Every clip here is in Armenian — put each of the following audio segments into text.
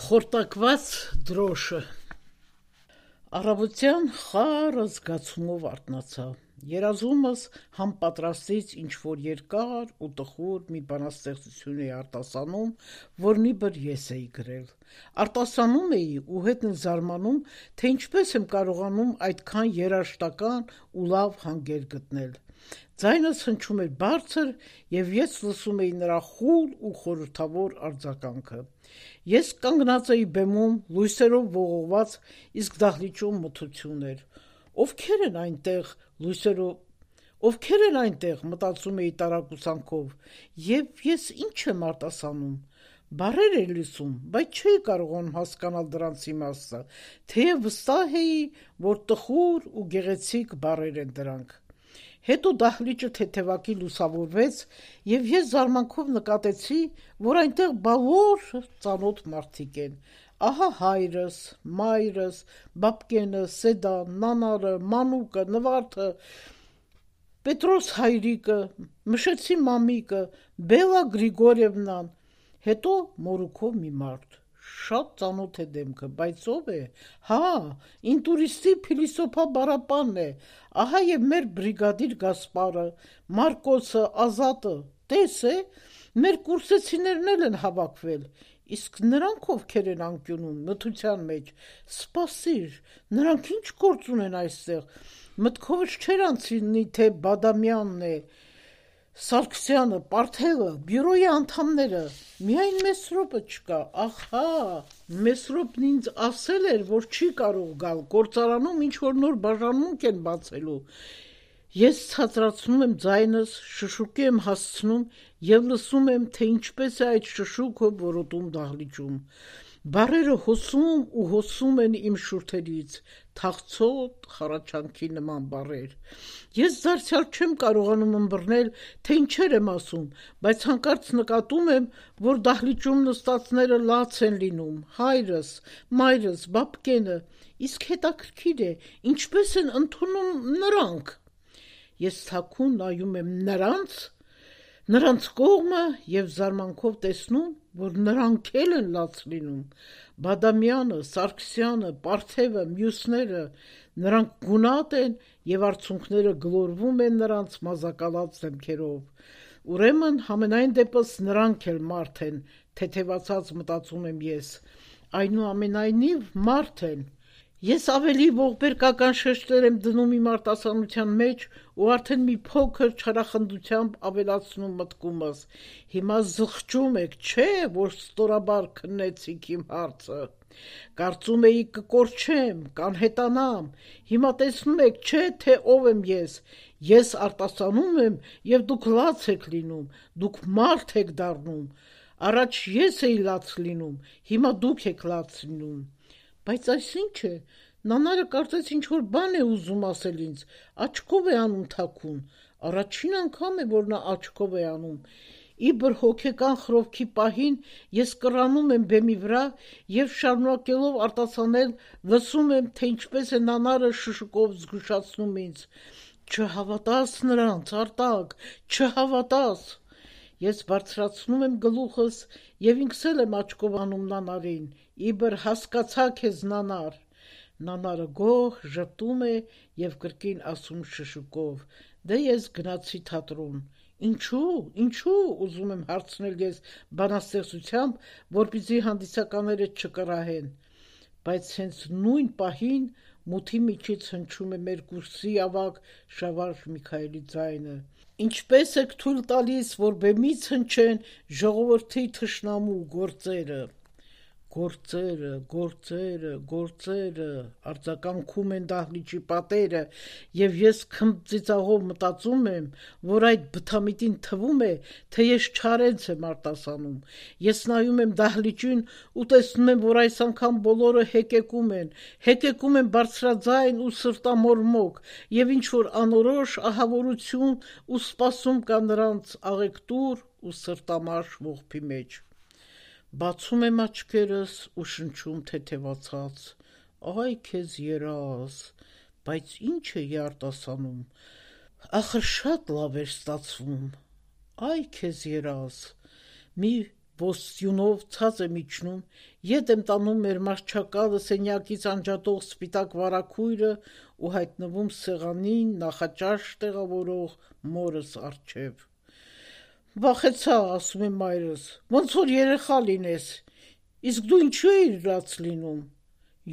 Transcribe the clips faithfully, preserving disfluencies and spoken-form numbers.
Խորտակված դրոշը Առավոտյան խառը զգացումով արթնացա, երազումս համ պատրաստից ինչ-որ երկար ու տխուր մի բանաստեղծություն էի արտասանում, որ նիբր ես էի գրել: Արտասանում էի ու հետն էլ զարմանում, թե ինչպես եմ կարողանում այդքան երաժշտական ու լավ հանգեր գտնել: Ձայնս հնչում էր բարձր, և ես լսում էի նրա խուլ ու խորհրդավոր արձագանքը: Ես կանգնած էի բեմում, լույսերով ողողված, իսկ դահլիճում մթություն էր: Ովքե՞ր են այնտեղ, լույսերով Ովքե՞ր են այնտեղ, մտածում էի տարակուսանքով, և ես ի՞նչ եմ արտասանում: Բառեր էի լսում, բայց չէի կարողանում հասկանալ դրանց իմաստը, թեև վստահ էի, որ տխուր ու գեղեցիկ բառեր են դրանք: Հետո դահլիճը թեթևակի լուսավորվեց, և ես զարմանքով նկատեցի, որ այնտեղ բոլոր ծանոթ մարդիկ են: Ահա հայրս, մայրս, բաբկենը, Սեդան, նանարը, մանուկը, Նվարդը, Պետրոս հայրիկը, Մշեցի մամիկը, Բելլա Գրիգորիևնան, հետո մորուքով մի մարդ: Շատ ծանոթ է դեմքը, բայց ո՞վ է: Հա, ինտուրիստի Փիլիսոփա Բառապանն է: Ահա և մեր բրիգադիր Գասպարը, Մարկոսը, Ազատը: Տես է, մեր կուրսեցիներն էլ են հավաքվել: Իսկ նրանք ովքեր են անկյունում, մթության մեջ: Սպասիր, նրանք ի՞նչ գործ ունեն այստեղ: Մտքովս չէր անցնի, թե Բադամյանն է, Սարգսյանը, Պարթևը, բյուրոյի անդամները: Միայն Մեսրոպը չկա: Ահա, Մեսրոպն ինձ ասել էր, որ չի կարող գալ, գործարանում ինչ-որ նոր բաժանմունք են բացելու: Ես ցածրացնում եմ ձայնս, շշուկի եմ հասցնում և լսում եմ, թե ինչպես է այդ շշուկը որոտում դահլիճում: Բառերը հոսում ու հոսում են իմ շուրթերից, թախծոտ խառաչանքի նման բառեր: Ես դարձյալ չեմ կարողանում ըմբռնել, թե ինչեր եմ ասում, բայց հանկարծ նկատում եմ, որ դահլիճում նստածները լաց են լինում: Հայրս, մայրս, բաբկենը: Իսկ հետաքրքիր է, ինչպե՞ս են ընդունում նրանք: Ես թաքուն նայում եմ նրանց, նրանց կողմը և զարմանքով տեսնում, որ նրանք էլ են լաց լինում: Բադամյանը, Սարգսյանը, Պարթևը, մյուսները: Նրանք գունատ են և արցունքները գլորվում են նրանց մազակալած դեմքերով: Ուրեմն համենայն դեպս նրանք էլ մարդ են, թեթևացած մտածում եմ ես: Այնուամենայնիվ մարդ են: Ես ավելի ողբերգական շեշտեր եմ դնում իմ արտասանության մեջ ու արդեն մի փոքր չարախնդությամբ ավելացնում մտքումս: Հիմա զղջում եք, չէ՞, որ ստորաբար քննեցիք իմ հարցը: Կարծում էիք կկորչեմ, կանհետանամ: Հիմա տեսնում եք, չէ՞, թե ով եմ ես: Ես արտասանում եմ և դուք լաց եք լինում, դուք մարդ եք դառնում: Առաջ ես էի լաց լինում, հիմա դուք եք լաց լինում: Բայց այս ի՞նչ է: Նանարը կարծես ինչ-որ բան է ուզում ասել ինձ, աչքով է անում թաքուն: Առաջին անգամ է, որ նա աչքով է անում: Իբր հոգեկան խռովքի պահին ես կռանում եմ բեմի վրա և շարունակելով արտասանել, լսում եմ, թե ինչպես է նանարը շշուկով զգուշացնում ինձ: Չհավատաս նրանց, Արտակ, չհավատաս: Ես բարձրացնում եմ գլուխս և ինքս էլ եմ աչքով անում նանարին: Իբր հասկացա քեզ, նանար: Նանարը գոհ ժպտում է և կրկին ասում շշուկով: Դե ես գնացի թատրոն: Ինչո՞ւ, ինչո՞ւ, ուզում եմ հարցնել ես բանաստեղծությամբ, որպեսզի հանդիսականները չկռահեն: Բայց հենց նույն պահին մութի միջից հնչում է մեր կուրսի ավագ Շավարժ Միքայելի ձայնը: Ինչպե՞ս եք թույլ տալիս, որ բեմից հնչեն ժողովրդի թշնամու գործերը: Գործերը, գործերը, գործերը, արձագանքում են դահլիճի պատերը, և ես քմծիծաղով մտածում եմ, որ այդ բթամիտին թվում է, թե ես չարենց եմ արտասանում: Ես նայում եմ դահլիճին ու տեսնում եմ, որ այս անգամ բոլորը հեկեկում են, հեկեկում են բարձրաձայն ու սրտամորմոք և ինչ-որ անորոշ ահավորություն ու սպասում կա նրանց աղեկտուր ու սրտամարշ ողբի մեջ: Բացում եմ աչքերս ու շնչում թեթևացած. Այ քեզ երազ: Բայց ի՞նչ էի արտասանում: Ախր շատ լավ էր ստացվում: Այ քեզ երազ: Մի ոստյունով ցած եմ իջնում, ետ եմ տանում մեր մարչակալը սենյակից անջատող սպիտակ վարագույրը ու հայտնվում սեղանին նախաճաշ տեղավորող մորս առջև։ Վախեցա, ասում է մայրս, ոնց որ երեխա լինես, իսկ դու ինչու էիր լաց լինում։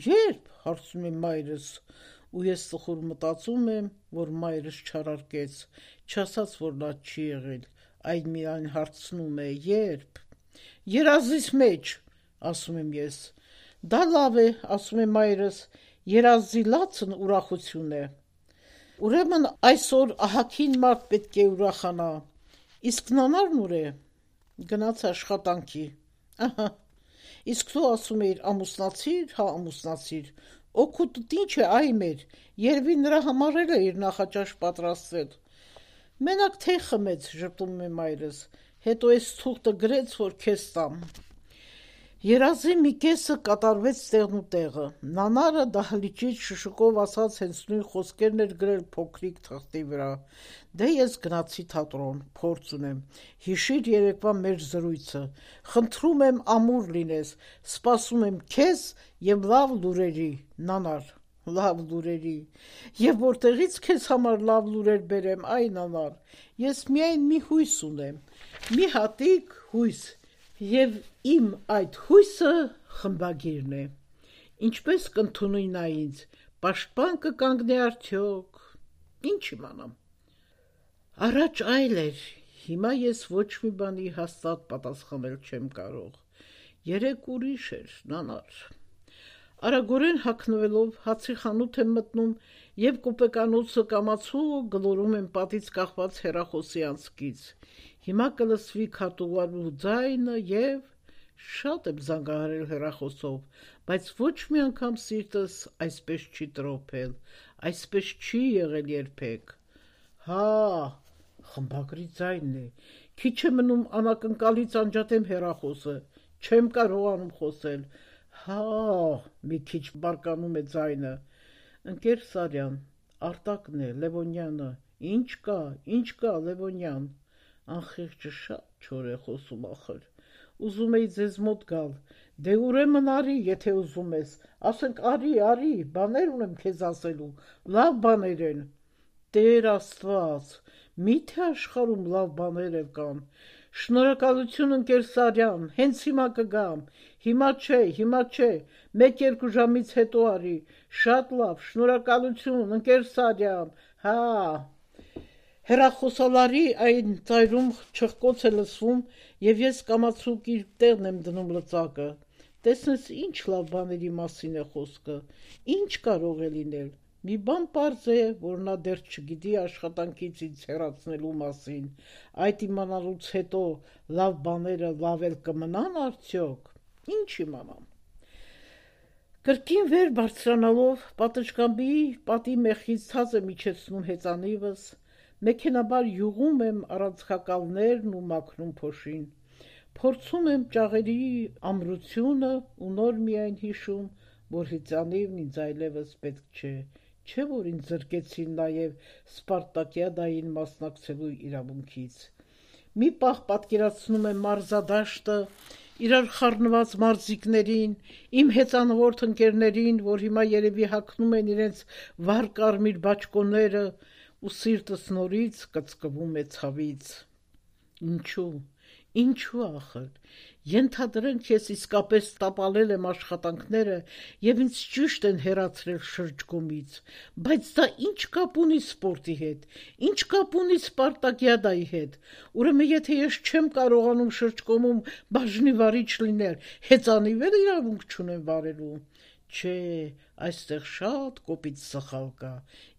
Երբ, հարցնում է մայրս, ու ես տխուր մտածում եմ, որ մայրս չարարկեց, չասաց, որ լաց չի եղել, այլ միայն հարցնում է, երբ։ Երազիս մեջ, ասում եմ ես։ Դա լավ է, ասում է մայրս, երազի լացն ուրախություն է։ Ուրեմն այսօր ահագին մարդ պետք է ուրախանա։ Իսկ նանարն ուր է։ Գնաց աշխատանքի։ Ահա։ Իսկ դու ասում էիր ամուսնացիր, հա ամուսնացիր։ Օգուտդ ինչ է, այ մեր, երևի նրա համար էլ է իր նախաճաշ պատրաստել։ Մենակ թե խմեց, ժպտում է մայրս, հետո էս թուղթը գրեց, որ քեզ տամ։ Երազի մի կեսը կատարվեց տեղն ու տեղը։ Նանարը դահլիճից շշուկով ասաց հենց նույն խոսքերն էր գրել փոքրիկ թղթի վրա։ Դե ես գնացի թատրոն, փորձ ունեմ։ Հիշիր երեկվա մեր զրույցը։ Խնդրում եմ ամուր լինես, սպասում եմ քեզ եւ լավ լուրերի, նանար, լավ լուրերի։ Եվ որտեղից քեզ համար լավ լուրեր բերեմ, այ նանար։ Ես միայն մի հույս ունեմ, մի հատիկ հույս։ Եվ իմ այդ հույսը խմբագիրն է։ Ինչպես կընդունի նա ինձ, պաշտպան կկանգնի արդյոք, ինչ իմանամ։ Առաջ այլ էր, հիմա ես ոչ մի բանի հաստատ պատասխանել չեմ կարող։ Երեկ ուրիշ էր, նանար։ Արագորեն հագնվելով հացի խանութ եմ մտնում եւ կոպեկանոցը կամացու գլորում եմ պատից կախված հեռախոսի անցքից։ Հիմա կլսվի քարտուղարու ձայնը եւ շատ եմ զանգահարել հեռախոսով, բայց ոչ մի անգամ սիրտս այսպես չի տրոփել, այսպես չի եղել երբեք։ Հա, խմբագրի ձայնն է։ Քիչ է մնում անակնկալից անջատեմ հեռախոսը, չեմ կարողանում խոսել։ Հա, մի քիչ բարկանում է ձայնը։ Ընկեր Սարյան, Արտակն է, Լևոնյանը։ Ինչ կա, ինչ կա, Լևոնյան։ Անխիղճը շատ չոր է խոսում ախր։ Ուզում էի ձեզ մոտ գալ։ Դե ուրեմն արի, եթե ուզում ես։ Ասենք արի, արի, բաներ ունեմ քեզ ասելու։ Լավ բաներ են։ Տեր Աստված, միթե աշխարհում լավ բաներ էլ կան։ Շնորհակալություն ընկեր Սարյան, հենց հիմա կգամ։ Հիմա չէ, հիմա չէ, մեկ-երկու ժամից հետո արի։ Շատ լավ, շնորհակալություն, ընկեր Սարյան։ Հա։ Հեռախոսալարի այն ծայրում չխկոց է լսվում եւ ես կամացուկ իր տեղն եմ դնում լծակը։ Տեսնես ինչ լավ բաների մասին է խոսքը։ Ինչ կարող է լինել։ Մի բան պարզ է, որ նա դեռ չգիտի աշխատանքից ինձ հեռացնելու մասին։ Այդ իմանալուց հետո լավ բաները լավ էլ կմնան արդյոք։ Ինչ իմանամ։ Կրկին վեր բարձրանալով պատշգամբի պատի մեխից ցած եմ իջեցնում հեծանիվս, մեքենաբար յուղում եմ առանցքակալներն ու մաքրում փոշին։ Փորձում եմ ճաղերի ամրությունը ու նոր միայն հիշում, որ հեծանիվն ինձ այլևս պետք չէ, չէ որ ինձ զրկեցին նաև Սպարտակիադային մասնակցելու իրավունքից։ Մի պահ պատկերացնում եմ մարզադաշտը, իրար խառնված մարզիկներին, իմ հեծանվորդ ընկերներին, որ հիմա երևի հագնում են իրենց վառ կարմիր բաճկոնները, ու սիրտս նորից կծկվում է ցավից։ Ինչու, ինչու ախր, ենթադրենք ես իսկապես տապալել եմ աշխատանքները եւ ինձ ճիշտ են հեռացրել շրջգումից, բայց դա ինչ կապ ունի սպորտի հետ, ինչ կապ ունի Սպարտակիադայի հետ։ Ուրեմն եթե ես չեմ կարողանում շրջգումում բաժնի վարիչ լինել, հեծանիվ էլ իրավունք չունեմ վարելու։ Չէ, այստեղ շատ կոպիտ սխալ կա,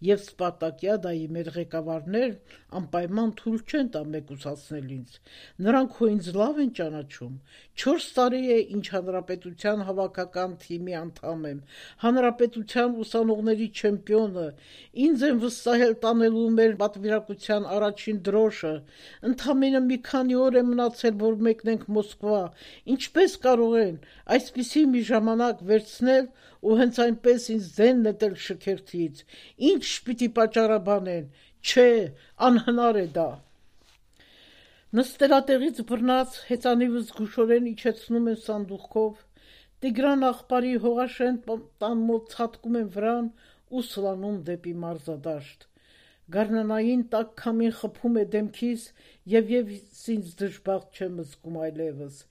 եւ Սպարտակիադայի մեր ղեկավարներն անպայման թույլ չեն տա մեկուսացնել ինձ։ Նրանք հո ինձ լավ են ճանաչում։ Չորս տարի է, ինչ հանրապետության հավաքական թիմի անդամ եմ, հանրապետության ուսանողների չեմպիոնը, ինձ են վստահել տանելու մեր պատվիրակության առաջին դրոշը, ընդամենը մի քանի օր է մնացել, որ մեկնենք Մոսկվա, ինչպես կարող են այսպիսի մի ժամանակ վերցնել ու հենց այնպես ինձ դեն նետել շքերթից, ինչ պիտի պատճառաբանեն, չէ, անհնար է դա։ Նստելատեղից բռնած հեծանիվը զգուշորեն իջեցնում են սանդուղքով, Տիգրան աղբարի հողաշեն տան մոտ ցատկում են վրան ու սլանում դեպի մարզադաշտ։ Գարնանային տաք քամին խփում է դեմքիս եւ ես ինձ դժբախտ չեմ զգում այլևս։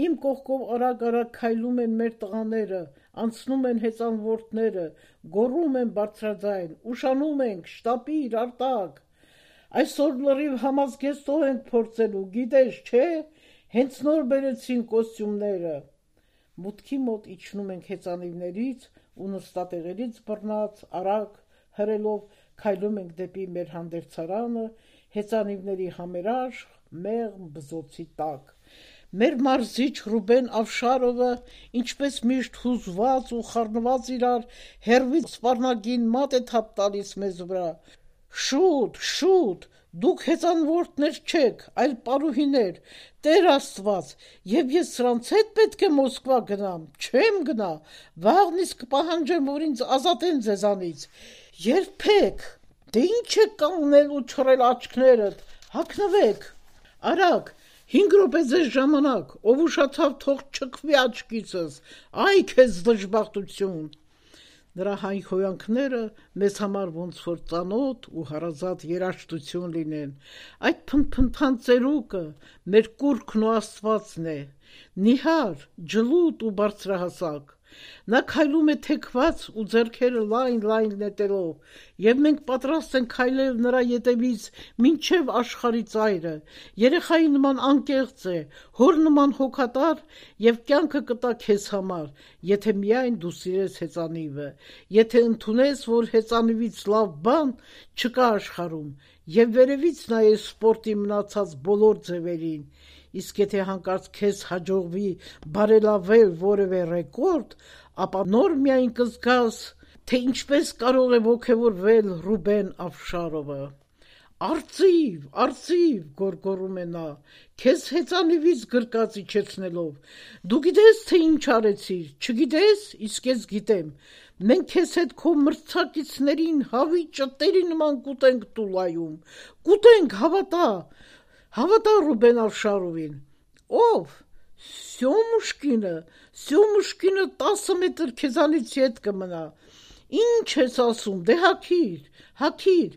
Իմ կողքով արագ-արագ քայլում են մեր տղաները, անցնում են հեծանվորդները, գոռում են բարձրաձայն, ուշանում ենք, շտապիր, արտակ։ Այսօր լրիվ համազգեստով ենք փորձելու, գիտես, չէ՞, հենց նոր բերեցին կոստյումները։ Մուտքի մոտ իջնում ենք հեծանիվներից ու նստատեղերից բռնած, արագ, հրելով քայլում ենք դեպի մեր հանդերձարանը, հեծանիվների համերաշխ, մեղմ բզոցի տակ։ Մեր մարզիչ Ռուբեն Ավշարովը, ինչպես միշտ հուզված ու խառնված իրար, հեռվից սպառնագին մատ է թափ տալիս մեզ վրա։ Շուտ, շուտ, դուք հեծանվորդներ չեք, այլ պարուհիներ, Տեր Աստված, եւ ես սրանց հետ պետք է Մոսկվա գնամ, չեմ գնա, վաղն իսկ կպահանջեմ, որ ինձ ազատեն ձեզանից։ Երբեք, դե ինչ է կանգնել ու չռել աչքներդ, հագնվեք, արագ, հինգ րոպե ձեզ ժամանակ, ով ուշացավ թող չքվի աչքիցս, այ քեզ դժբախտություն։ Նրա հայհոյանքները մեզ համար ոնց որ ծանոթ ու հարազատ երաժշտություն լինեն, այդ փնփնթան ծերուկը մեր կուռքն ու Աստվածն է, նիհար, ջլուտ ու բարձրահասակ։ Նա քայլում է թեքված ու ձեռքերը լայն-լայն նետելով, եւ մենք պատրաստ ենք քայլել նրա ետևից մինչև աշխարհի ծայրը։ Երեխայի նման անկեղծ է, հոր նման հոգատար եւ կյանքը կտա քեզ համար, եթե միայն դու սիրես հեծանիվը, եթե ընդունես, որ հեծանիվից լավ բան չկա աշխարհում, եւ վերևից նայես սպորտի մնացած բոլոր ձևերին։ Իսկ եթե հանկարծ քեզ հաջողվի բարելավել որևէ ռեկորդ, ապա նոր միայն կզգաս, թե ինչպես կարող է ոգևորվել Ռուբեն Ավշարովը։ Արծիվ, արծիվ, գոռգոռում է նա, քեզ հեծանիվից գրկած իջեցնելով։ Դու գիտես, թե ինչ արեցիր, չգիտես, իսկ ես գիտեմ։ Մենք քեզ հետ քո մրցակիցներին հավի ճտերի նման կուտենք Տուլայում։ Կուտենք, հավատա։ Հավատա Ռուբեն Ավշարովին։ Ով։ Սյոմուշկինը, Սյոմուշկինը տասը մետր քեզանից ետ կմնա։ Ինչ ես ասում, դե հագիր, հագիր,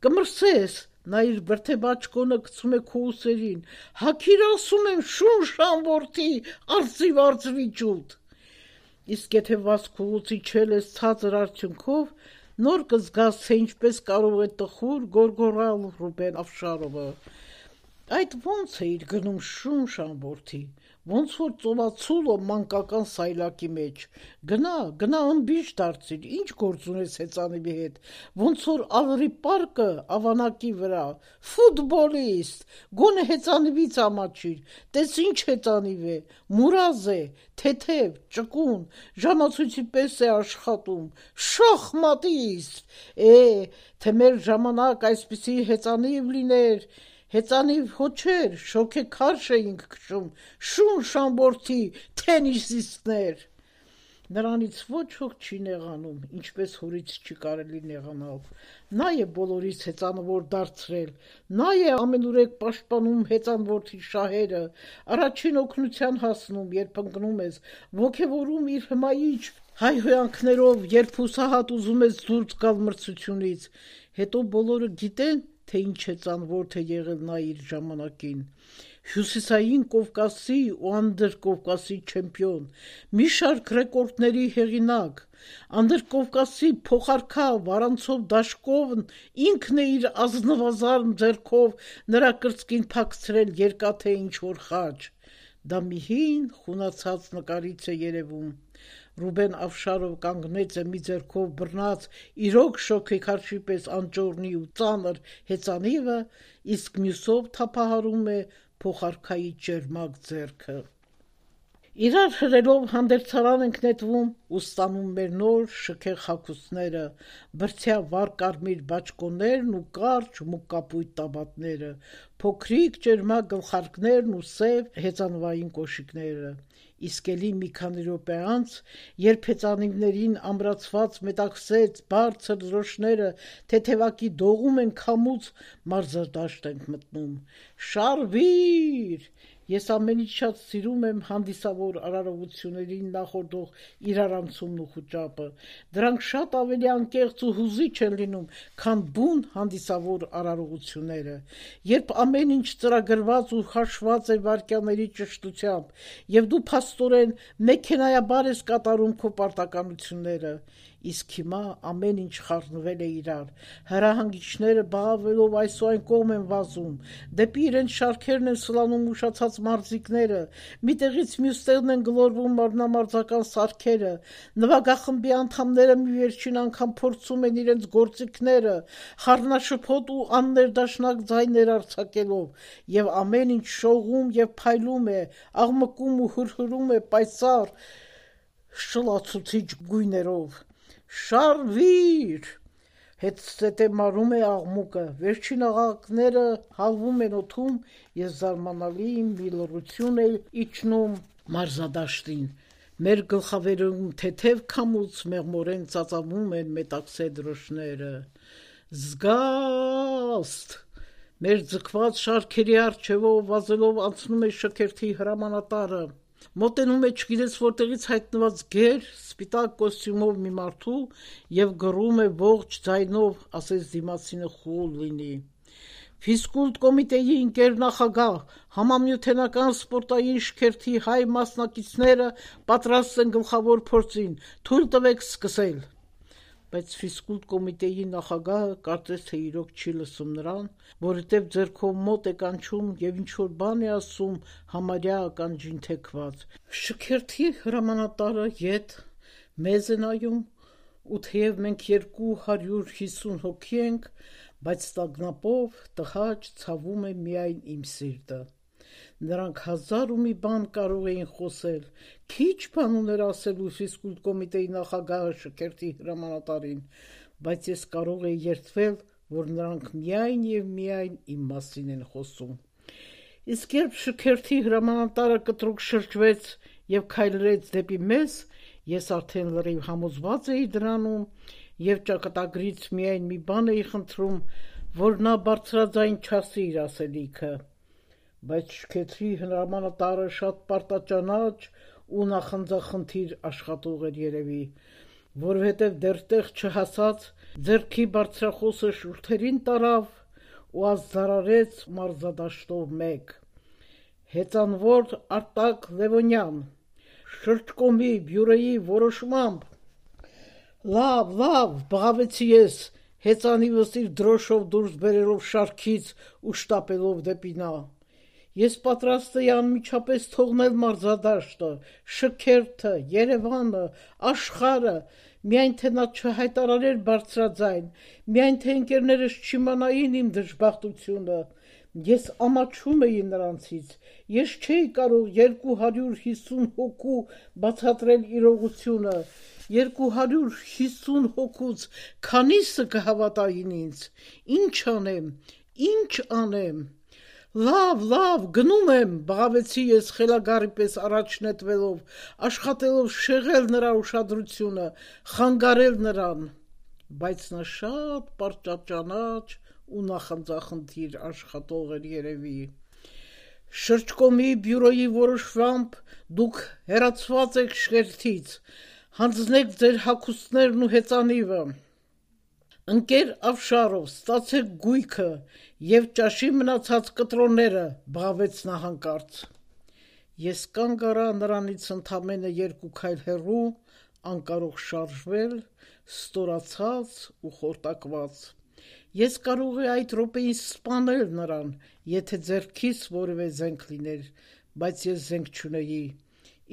կմրսես, նա իր բրդեբաճկոնը գցում է քո ուսերին, հագիր ասում եմ, շունշան որդի, արծիվ արծվի ջութ։ Իսկ եթե վազքուղուց իջել ես ցածր արդյունքով, նոր կզգաս, թե ինչպես կարող է տխուր գոռգոռալ Ռուբեն Ավշարովը։ Այդ ոնց է իր գնում շունշան որդի, ոնց որ ծովածուլո մանկական սայլակի մեջ։ Գնա, գնա ըմբիշ դարձիր, ինչ գործ ունես հեծանիվի հետ, ոնց որ ալրի պարկը ավանակի վրա, ֆուտբոլիստ, գոնե հեծանիվից ամաչիր, տես ինչ հեծանիվ է, մուրազ է, թեթև, ճկուն, ժամացույցի պես է աշխատում, շախմատիստ, է, թե մեր ժամանակ այսպիսի հեծանիվ լիներ, հեծանիվ հոչեր, շոգեքարշ էինք քշում, շունշան որդի, թենիսիստներ։ Նրանից ոչ ոք չի նեղանում, ինչպես հորից չի կարելի նեղանալ։ Նա է բոլորից հեծանվոր դարձրել, նա է ամենուրեք պաշտպանում հեծանորդի շահերը, առաջին օգնության հասնում, երբ ընկնում ես, ոգևորում իր հմայիչ հայհոյանքներով, երբ հուսահատ ուզում ես դուրս գալ մրցությունից, հետո բոլորը գիտեն, թե ինչ հեծանվորդ է եղել նա իր ժամանակին։ Հյուսիսային Կովկասի ու Անդրկովկասի չեմպիոն, մի շարք ռեկորդների հեղինակ, Անդրկովկասի փոխարքավ առանցով դաշկովն ինքն է իր ազնվազարմ ձեռքով նրա կրծքին փակցրել երկաթե ինչ-որ խաչ։ Դա մի հին խունացած նկարից է երևում։ Ռուբեն Ավշարով կանգնեց է մի ձեռքով բռնած իրոք շոգեքարշի պես անճոռնի ու ծանր հեծանիվը, իսկ մյուսով թափահարում է փոխարքայի ճերմակ ձեռքը։ Իրար հրելով հանդերձարան ենք նետվում ու ստանում մեր նոր շքեղ հագուստները, բրդյա վառ կարմիր բաճկոններն ու կարճ մուգ կապույտ տաբատները, փոքրիկ ճերմակ գլխարկներն ու սև հեծանվային կոշիկները։ իսկ էլի մի քանի րոպե անց, երբ հեծանիվներին ամրացված մետաքսեց բարձր դրոշները թեթևակի դողում են քամուց, մարզադաշտ ենք մտնում։ Շարվի՛ր։ Ես ամենից շատ սիրում եմ հանդիսավոր արարողություններին նախորդող իրարանցումն ու խուճապը։ Դրանք շատ ավելի անկեղծ ու հուզիչ են լինում, քան բուն հանդիսավոր արարողությունները, երբ ամեն ինչ ծրագրված ու հաշված է վայրկյանների ճշտությամբ, եւ դու փաստորեն մեքենայաբար ես կատարում քո պարտականությունները, իսկ հիմա ամեն ինչ խառնվել է իրար, հրահանգիչները բաղավելով այս ու այն կողմ են վազում, դեպի իրենց շարքերն են սլանում ուշացած մարզիկները, մի տեղից մյուս տեղն են գլորվում մարմնամարզական սարքերը, նվագախմբի անդամները մի վերջին անգամ փորձում են իրենց գործիքները, խառնաշփոթ ու աններդաշնակ ձայներ արձակելով, եւ ամեն ինչ շողում եւ փայլում է, աղմկում ու հրհրում է պայծառ շլացուցիչ գույներով։ Շարվի՛ր։ Հետզհետե մարում է աղմուկը, վերջին աղաղակները հալվում են օդում եւ զարմանալի մի լռություն է իջնում մարզադաշտին։ Մեր գլխավերում թեթև քամուց մեղմորեն ծածանվում են մետաքսե դրոշները։ Զգաստ։ Մեր ձգված շարքերի առջևով վազելով անցնում է շքերթի հրամանատարը։ Մոտենում է չգիտես որտեղից հայտնված գեր, սպիտակ կոստյումով մի մարդու եւ գռում է ողջ ձայնով, ասես դիմացինը խուլ լինի։ Ֆիզկուլտ կոմիտեի ընկեր նախագահ, համամիութենական սպորտային շքերթի հայ մասնակիցները պատրաստ են գլխավոր փորձին, թույլ տվեք սկսել։ Բայց ֆիզկուլտ կոմիտեի նախագահը կարծես թե իրոք չի լսում նրան, որովհետև ձեռքով մոտ է կանչում եւ ինչ-որ բան է ասում համարյա ականջին թեքված։ Շքերթի հրամանատարը ետ մեզ է նայում, ու թեև մենք երկու հարյուր հիսուն հոգի ենք, բայց տագնապով տհաճ ցավում է միայն իմ սիրտը։ Նրանք հազար ու մի բան կարող էին խոսել, քիչ բան ուներ ասելու ֆիզկուլտ կոմիտեի նախագահը շքերթի հրամանատարին, բայց ես կարող էի երդվել, որ նրանք միայն եւ միայն իմ մասին են խոսում։ Իսկ երբ շքերթի հրամանատարը կտրուկ շրջվեց եւ քայլրեց դեպի մեզ, ես արդեն լրիվ համոզված էի դրանում եւ ճակատագրից միայն մի բան էի խնդրում, որ նա բարձրաձայն չասի իր ասելիքը։ Բայց շքերթի հրամանատարը շատ պարտաճանաչ ու նախանձախնդիր աշխատող էր երևի, որովհետև դեռ տեղ չհասած ձեռքի բարձրախոսը շուրթերին տարավ ու ազդարարեց մարզադաշտով մեկ։ Հեծանվոր Արտակ Լևոնյան, շրջկոմի բյուրոյի որոշմամբ։ Լավ, լավ, բղավեցի ես, հեծանիվս իր դրոշով դուրս բերելով շարքից ու շտապելով դեպի նա։ Ես պատրաստ էի անմիջապես թողնել մարզադաշտը, շքերթը, Երևանը, աշխարհը, միայն թե նա չհայտարարեր բարձրաձայն, միայն թե ընկերներս չիմանային իմ դժբախտությունը։ Ես ամաչում էի նրանցից, ես չէի կարող երկու հարյուր հիսուն հոգու բացատրել իրողությունը, երկու հարյուր հիսուն հոգուց քանիսը կհավատային ինձ, ինչ անեմ, ինչ անեմ։ Լավ, լավ, գնում եմ, բղավեցի ես խելագարի պես առաջ նետվելով, աշխատելով շեղել նրա ուշադրությունը, խանգարել նրան, բայց նա շատ պարտաճանաչ ու նախանձախնդիր աշխատող էր երևի։ Շրջկոմի բյուրոյի որոշմամբ դուք հեռացված եք շքերթից, հանձնեք ձեր հագուստներն ու հեծանիվը։ Ընկեր Ավշարով, ստացեք գույքը եւ ճաշի մնացած կտրոնները, բղավեց նա հանկարծ։ Ես կանգ առա նրանից ընդամենը երկու քայլ հեռու, անկարող շարժվել, ստորացած ու խորտակված։ Ես կարող էի այդ րոպեին սպանել նրան, եթե ձեռքիս որևէ զենք լիներ, բայց ես զենք չունեի։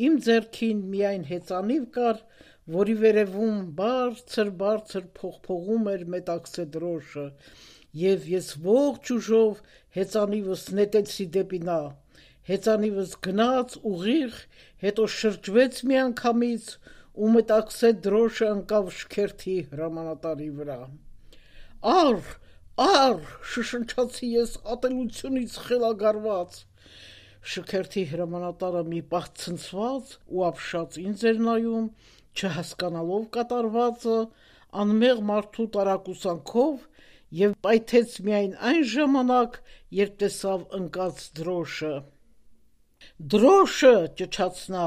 Իմ ձեռքին միայն հեծանիվ կար, որի վերևում բարձր-բարձր փողփողում էր մետաքսե դրոշը, եւ ես ողջ ուժով հեծանիվս նետեցի դեպի նա։ Հեծանիվս գնաց ուղիղ, հետո շրջվեց միանգամից ու մետաքսե դրոշը ընկավ շքերթի հրամանատարի վրա։ Ար, ար, շշնջացի ես ատելությունից խելագարված։ Շքերթի հրամանատարը մի պահ ցնցված ու ապշած ինձ էր նայում, չհասկանալով կատարվածը, անմեղ մարդու տարակուսանքով եւ պայթեց միայն այն ժամանակ, երբ տեսավ ընկած դրոշը։ «Դրոշը», ճչաց նա,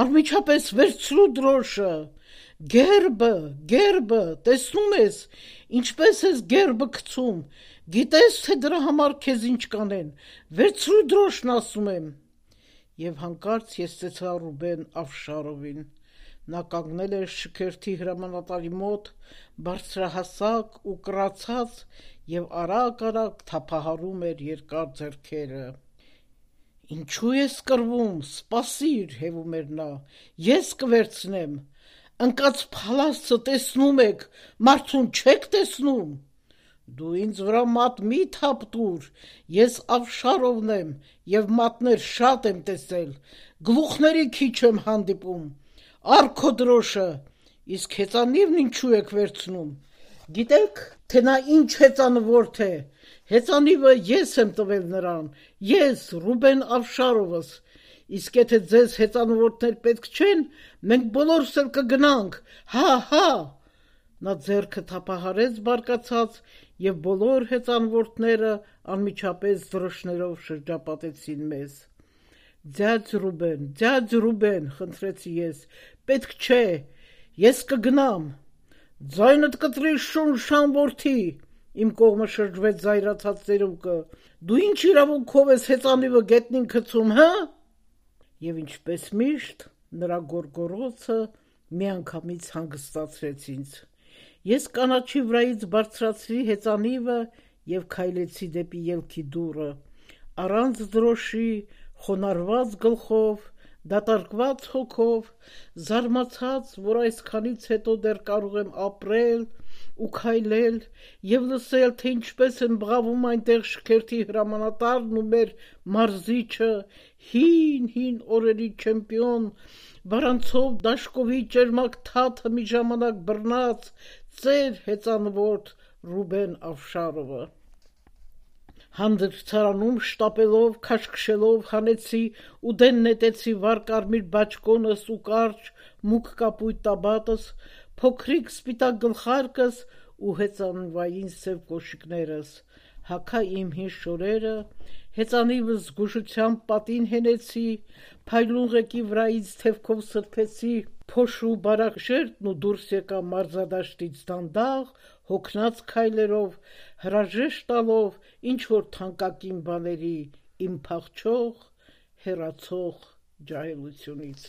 «անմիջապես վերցրու դրոշը, գերբը, գերբը, տեսնում ես, ինչպես ես գերբը գցում, գիտես, թե դրա համար քեզ ինչ կանեն, վերցրու դրոշն, ասում եմ»։ Եվ հանկարծ ես տեսա Ռուբեն Աֆշարովին, նա կանգնել էր շքերթի հրամանատարի մոտ, բարձրահասակ ու կռացած եւ արագ-արագ թափահարում էր երկար ձեռքերը։ «Ինչու ես կռվում, սպասիր», հեվում էր նա, «ես կվերցնեմ, ընկած փալասը տեսնում եք, մարդուն չեք տեսնում»։ «Դու ինձ վրա մատ մի թափ տուր, ես Աֆշարովն եմ եւ մատներ շատ եմ տեսել, գլուխների քիչ եմ հանդիպում, առ քո դրոշը, իսկ հեծանիվն ինչու եք վերցնում, գիտեք, թե նա ինչ հեծանվորդ է, հեծանիվը ես եմ տվել նրան, ես, Ռուբեն Աֆշարովս, իսկ եթե ձեզ հեծանվորդներ պետք չեն, մենք բոլորս էլ կգնանք, հա, հա»։ Նա ձեռքը թափահարեց բարկացած եւ բոլոր հեծանվորդները անմիջապես դրոշներով շրջապատեցին մեզ։ «Ձյաձ Ռուբեն, ձյաձ Ռուբեն», խնդրեցի ես, «պետք չէ, ես կգնամ»։ «Ձայնդ կտրի, շունշան որդի», իմ կողմը շրջվեց զայրացած ծերուկը, «դու ինչ իրավունքով ես հեծանիվը գետնին գցում, հը»։ Եվ ինչպես միշտ, նրա գոռգոռոցը միանգամից հանգստացրեց ինձ։ Ես կանաչի վրայից բարձրացրի հեծանիվը եւ քայլեցի դեպի ելքի դուռը, առանց դրոշի, խոնարհված գլխով, դատարկված հոգով, զարմացած, որ այսքանից հետո դեռ կարող եմ ապրել ու քայլել եւ լսել, թե ինչպես են բղավում այնտեղ շքերթի հրամանատարն ու մեր մարզիչը, հին-հին օրերի չեմպիոն, վարանցով դաշկովի ճերմակ թաթը մի ժամանակ բռնած ծեր հեծանվորդ Ռուբեն Աֆշարովը։ Հանդերձարանում շտապելով, քաշքշելով հանեցի ու դեն նետեցի վառ կարմիր բաճկոնս ու կարճ մուգ կապույտ տաբատս, փոքրիկ սպիտակ գլխարկս ու հեծանվային սև կոշիկներս, հագա իմ հին շորերը, հեծանիվս զգուշությամբ պատին հենեցի, փայլուն ղեկի վրայից թևքով սրբեցի փոշու բարակ շերտն ու դուրս եկա մարզադաշտից դանդաղ, հոգնած քայլերով, հրաժեշտ տալով ինչ-որ թանկագին բաների իմ փախչող, հեռացող ջահելությունից։